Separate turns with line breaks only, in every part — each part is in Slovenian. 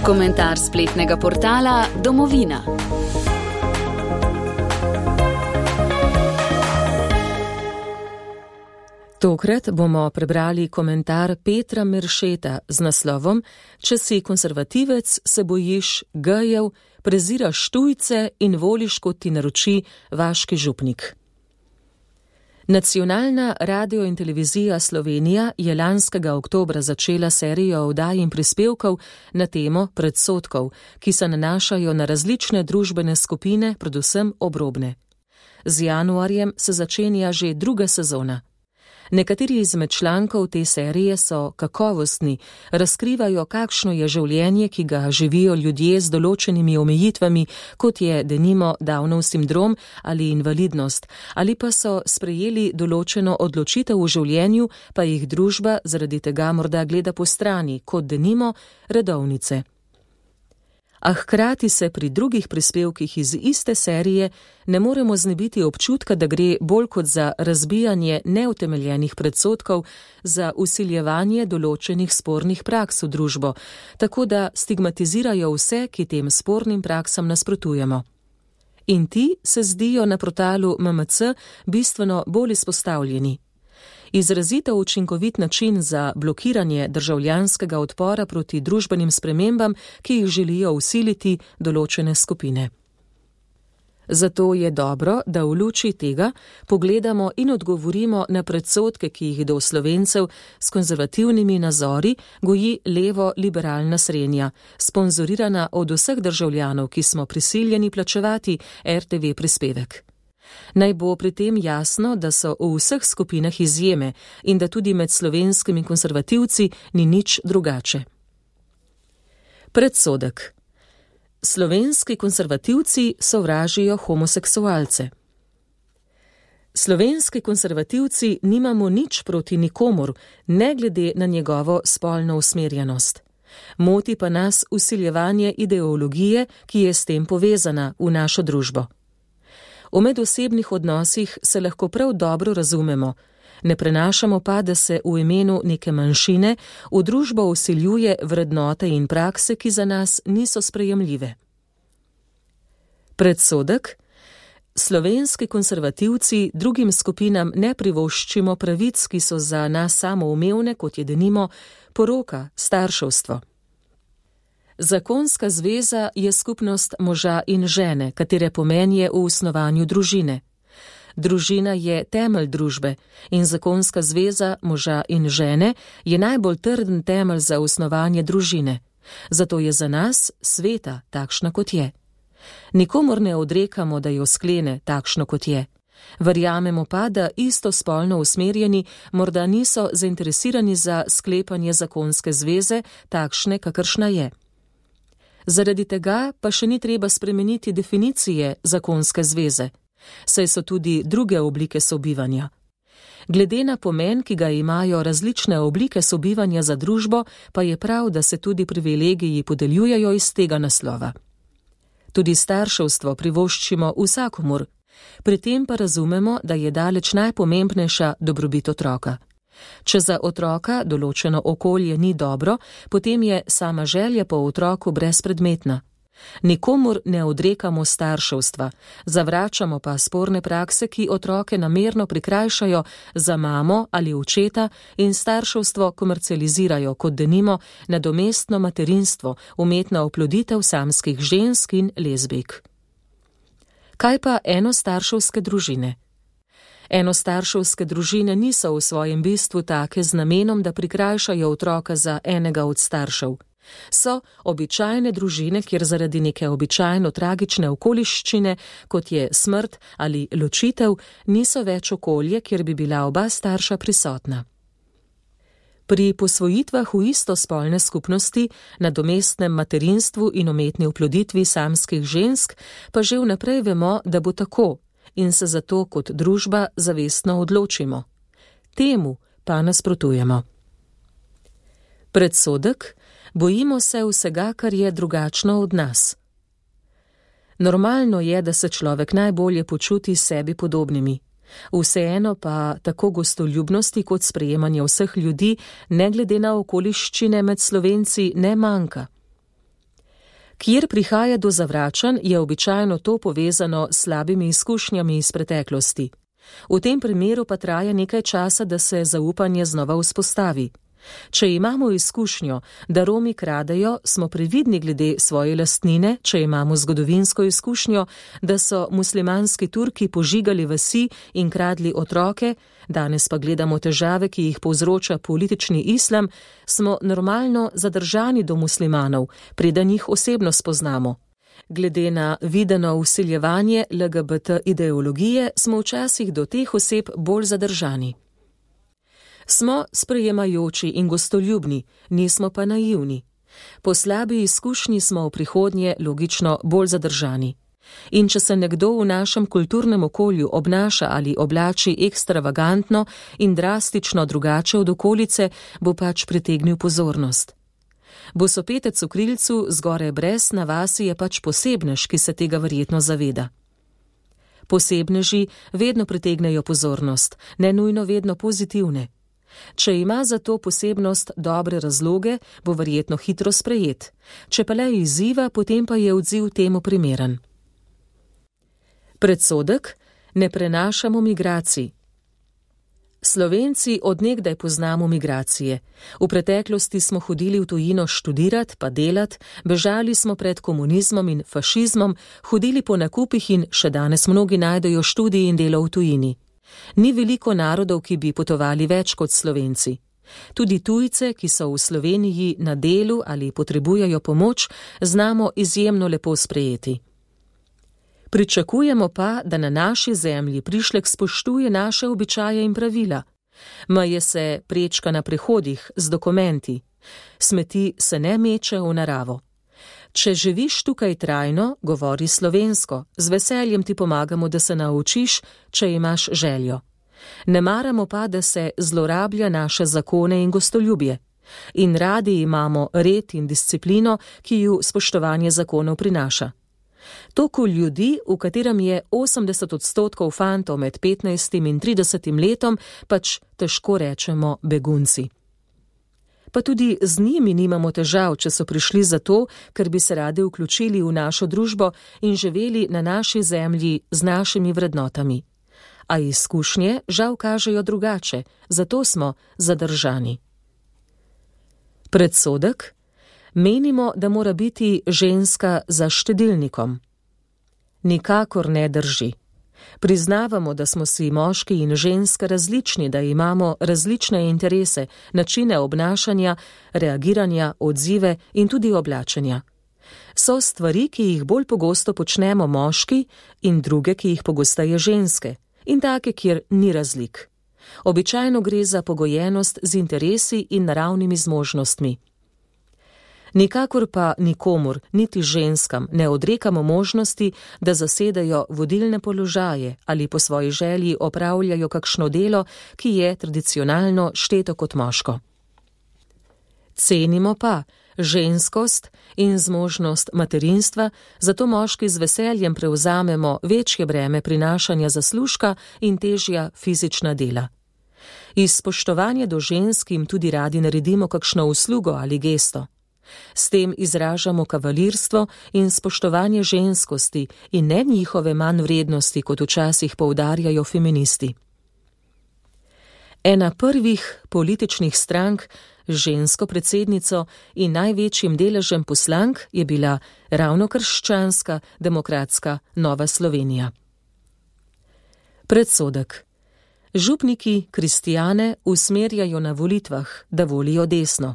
Komentar spletnega portala Domovina. Tokrat bomo prebrali komentar Petra Meršeta z naslovom Če si konservativec, se bojiš gejev, preziraš tujce in voliš, kot ti naroči vaški župnik. Nacionalna radio in televizija Slovenija je lanskega oktobra začela serijo oddaj in prispevkov na temo predsodkov, ki se nanašajo na različne družbene skupine, predvsem obrobne. Z januarjem se začenja že druga sezona. Nekateri izmed člankov te serije so kakovostni, razkrivajo, kakšno je življenje, ki ga živijo ljudje z določenimi omejitvami, kot je denimo Downov sindrom ali invalidnost, ali pa so sprejeli določeno odločitev v življenju, pa jih družba zaradi tega morda gleda po strani, kot denimo redovnice. A hkrati se pri drugih prispevkih iz iste serije ne moremo znebiti občutka, da gre bolj kot za razbijanje neutemeljenih predsodkov, za vsiljevanje določenih spornih praks v družbo, tako da stigmatizirajo vse, ki tem spornim praksam nasprotujemo. In ti se zdijo na portalu MMC bistveno bolj izpostavljeni. Izrazito učinkovit način za blokiranje državljanskega odpora proti družbenim spremembam, ki jih želijo vsiliti določene skupine. Zato je dobro, da v luči tega pogledamo in odgovorimo na predsodke, ki jih do Slovencev s konzervativnimi nazori goji levo-liberalna srednja, sponzorirana od vseh državljanov, ki smo prisiljeni plačevati RTV prispevek. Naj bo pri tem jasno, da so v vseh skupinah izjeme in da tudi med slovenskimi konservativci ni nič drugače. Predsodek. Slovenski konservativci sovražijo homoseksualce. Slovenski konservativci nimamo nič proti nikomur, ne glede na njegovo spolno usmerjenost. Moti pa nas vsiljevanje ideologije, ki je s tem povezana v našo družbo. V medosebnih odnosih se lahko prav dobro razumemo, ne prenašamo pa, da se v imenu neke manjšine v družbo vsiljuje vrednote in prakse, ki za nas niso sprejemljive. Predsodek. Slovenski konservativci drugim skupinam ne privoščimo pravic, ki so za nas samoumevne, kot je denimo poroka, starševstvo. Zakonska zveza je skupnost moža in žene, katere pomen je v osnovanju družine. Družina je temelj družbe in zakonska zveza moža in žene je najbolj trden temelj za osnovanje družine. Zato je za nas sveta takšna, kot je. Nikomur ne odrekamo, da jo sklene takšno, kot je. Verjamemo pa, da istospolno usmerjeni morda niso zainteresirani za sklepanje zakonske zveze, takšne, kakršna je. Zaradi tega pa še ni treba spremeniti definicije zakonske zveze, saj so tudi druge oblike sobivanja. Glede na pomen, ki ga imajo različne oblike sobivanja za družbo, pa je prav, da se tudi privilegiji podeljujejo iz tega naslova. Tudi starševstvo privoščimo vsakomur, pri tem pa razumemo, da je daleč najpomembnejša dobrobit otroka. Če za otroka določeno okolje ni dobro, potem je sama želja po otroku brezpredmetna. Nikomur ne odrekamo starševstva, zavračamo pa sporne prakse, ki otroke namerno prikrajšajo za mamo ali očeta in starševstvo komercializirajo kot denimo nadomestno materinstvo, umetna oploditev samskih žensk in lezbijk. Kaj pa enostarševske družine? Enostarševske družine niso v svojem bistvu take z namenom, da prikrajšajo otroka za enega od staršev. So običajne družine, kjer zaradi neke običajno tragične okoliščine, kot je smrt ali ločitev, niso več okolje, kjer bi bila oba starša prisotna. Pri posvojitvah v istospolne skupnosti, nadomestnem materinstvu in umetni oploditvi samskih žensk pa že vnaprej vemo, da bo tako, in se zato kot družba zavestno odločimo. Temu pa nasprotujemo. Predsodek. Bojimo se vsega, kar je drugačno od nas. Normalno je, da se človek najbolje počuti s sebi podobnimi. Vseeno pa tako gostoljubnosti kot sprejemanje vseh ljudi, ne glede na okoliščine med Slovenci, ne manjka. Kjer prihaja do zavračanj, je običajno to povezano s slabimi izkušnjami iz preteklosti. V tem primeru pa traja nekaj časa, da se zaupanje znova vzpostavi. Če imamo izkušnjo, da Romi kradejo, smo previdni glede svoje lastnine, če imamo zgodovinsko izkušnjo, da so muslimanski Turki požigali vasi in kradli otroke, danes pa gledamo težave, ki jih povzroča politični islam, smo normalno zadržani do muslimanov, preden jih osebno spoznamo. Glede na videno vsiljevanje LGBT ideologije smo včasih do teh oseb bolj zadržani. Smo sprejemajoči in gostoljubni, nismo pa naivni. Po slabi izkušnji smo v prihodnje logično bolj zadržani. In če se nekdo v našem kulturnem okolju obnaša ali oblači ekstravagantno in drastično drugače od okolice, bo pač pritegnil pozornost. Bosopetec v krilcu zgoraj brez na vasi je pač posebnež, ki se tega verjetno zaveda. Posebneži vedno pritegnejo pozornost, ne nujno vedno pozitivne. Če ima za to posebnost dobre razloge, bo verjetno hitro sprejet. Če pa le izziva, potem pa je odziv temu primeren. Predsodek: ne prenašamo migracij. Slovenci od nekdaj poznamo migracije. V preteklosti smo hodili v tujino študirat pa delat, bežali smo pred komunizmom in fašizmom, hodili po nakupih in še danes mnogi najdejo študij in delo v tujini. Ni veliko narodov, ki bi potovali več kot Slovenci. Tudi tujce, ki so v Sloveniji na delu ali potrebujejo pomoč, znamo izjemno lepo sprejeti. Pričakujemo pa, da na naši zemlji prišlek spoštuje naše običaje in pravila. Meje se prečka na prehodih z dokumenti. Smeti se ne meče v naravo. Če živiš tukaj trajno, govori slovensko, z veseljem ti pomagamo, da se naučiš, če imaš željo. Ne maramo pa, da se zlorablja naše zakone in gostoljubje. In radi imamo red in disciplino, ki ju spoštovanje zakonov prinaša. Toku ljudi, v katerem je 80% fantov med 15 in 30 letom, pač težko rečemo begunci. Pa tudi z njimi nimamo težav, če so prišli zato, ker bi se radi vključili v našo družbo in živeli na naši zemlji z našimi vrednotami. A izkušnje žal kažejo drugače, zato smo zadržani. Predsodek: menimo, da mora biti ženska za štedilnikom. Nikakor ne drži. Priznavamo, da smo si moški in ženska različni, da imamo različne interese, načine obnašanja, reagiranja, odzive in tudi oblačenja. So stvari, ki jih bolj pogosto počnemo moški, in druge, ki jih pogosteje ženske, in take, kjer ni razlik. Običajno gre za pogojenost z interesi in naravnimi zmožnostmi. Nikakor pa nikomur, niti ženskam, ne odrekamo možnosti, da zasedajo vodilne položaje ali po svoji želji opravljajo kakšno delo, ki je tradicionalno šteto kot moško. Cenimo pa ženskost in zmožnost materinstva, zato moški z veseljem prevzamemo večje breme prinašanja zaslužka in težja fizična dela. Iz spoštovanja do žensk jim tudi radi naredimo kakšno uslugo ali gesto. S tem izražamo kavalirstvo in spoštovanje ženskosti in ne njihove manjvrednosti, kot včasih poudarjajo feministi. Ena prvih političnih strank z žensko predsednico in največjim deležem poslank je bila ravno krščanska demokratska Nova Slovenija. Predsodek: župniki kristjane usmerjajo na volitvah, da volijo desno.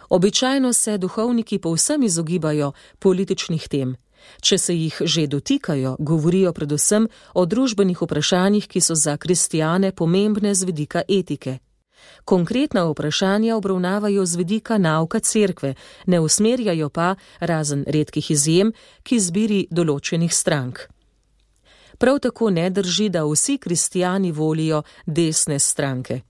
Običajno se duhovniki povsem izogibajo političnih tem. Če se jih že dotikajo, govorijo predvsem o družbenih vprašanjih, ki so za kristjane pomembne z vidika etike. Konkretna vprašanja obravnavajo z vidika nauka cerkve, ne usmerjajo pa, razen redkih izjem, k izbiri določenih strank. Prav tako ne drži, da vsi kristjani volijo desne stranke.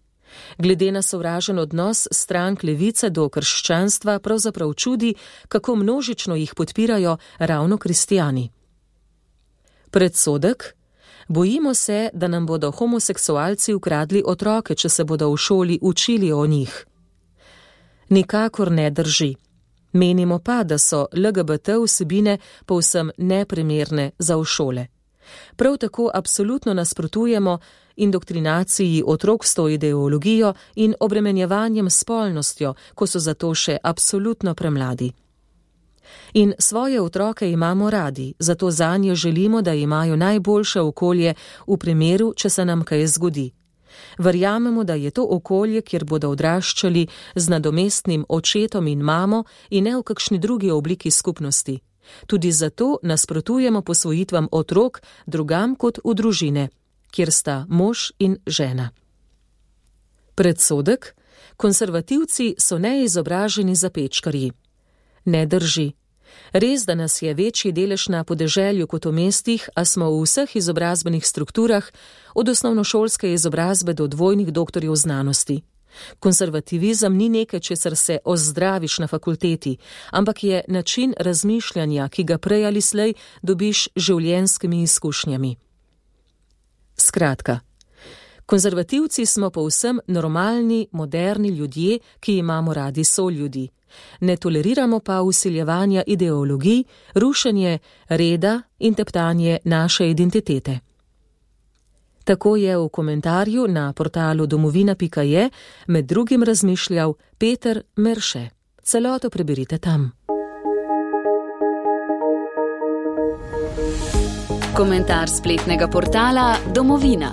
Glede na sovražen odnos strank levice do krščanstva pravzaprav čudi, kako množično jih podpirajo ravno kristjani. Predsodek: bojimo se, da nam bodo homoseksualci ukradli otroke, če se bodo v šoli učili o njih. Nikakor ne drži. Menimo pa, da so LGBT vsebine povsem neprimerne za v šole. Prav tako absolutno nasprotujemo indoktrinaciji otrok s to ideologijo in obremenjevanjem s spolnostjo, ko so zato še absolutno premladi. In svoje otroke imamo radi, zato zanje želimo, da imajo najboljše okolje v primeru, če se nam kaj zgodi. Verjamemo, da je to okolje, kjer bodo odraščali z nadomestnim očetom in mamo in ne v kakšni drugi obliki skupnosti. Tudi zato nasprotujemo posvojitvam otrok drugam kot v družine, kjer sta mož in žena. Predsodek: konservativci so neizobraženi zapečkarji. Ne drži. Res, da nas je večji delež na podeželju kot v mestih, a smo v vseh izobrazbenih strukturah, od osnovnošolske izobrazbe do dvojnih doktorjev znanosti. Konservativizem ni nekaj, česar se ozdraviš na fakulteti, ampak je način razmišljanja, ki ga prej ali slej dobiš življenjskimi izkušnjami. Skratka, konservativci smo povsem normalni, moderni ljudje, ki imamo radi soljudi. Ne toleriramo pa vsiljevanja ideologij, rušenje reda in teptanje naše identitete. Tako je v komentarju na portalu domovina.je med drugim razmišljal Peter Merše. Celoto preberite tam.
Komentar spletnega portala Domovina.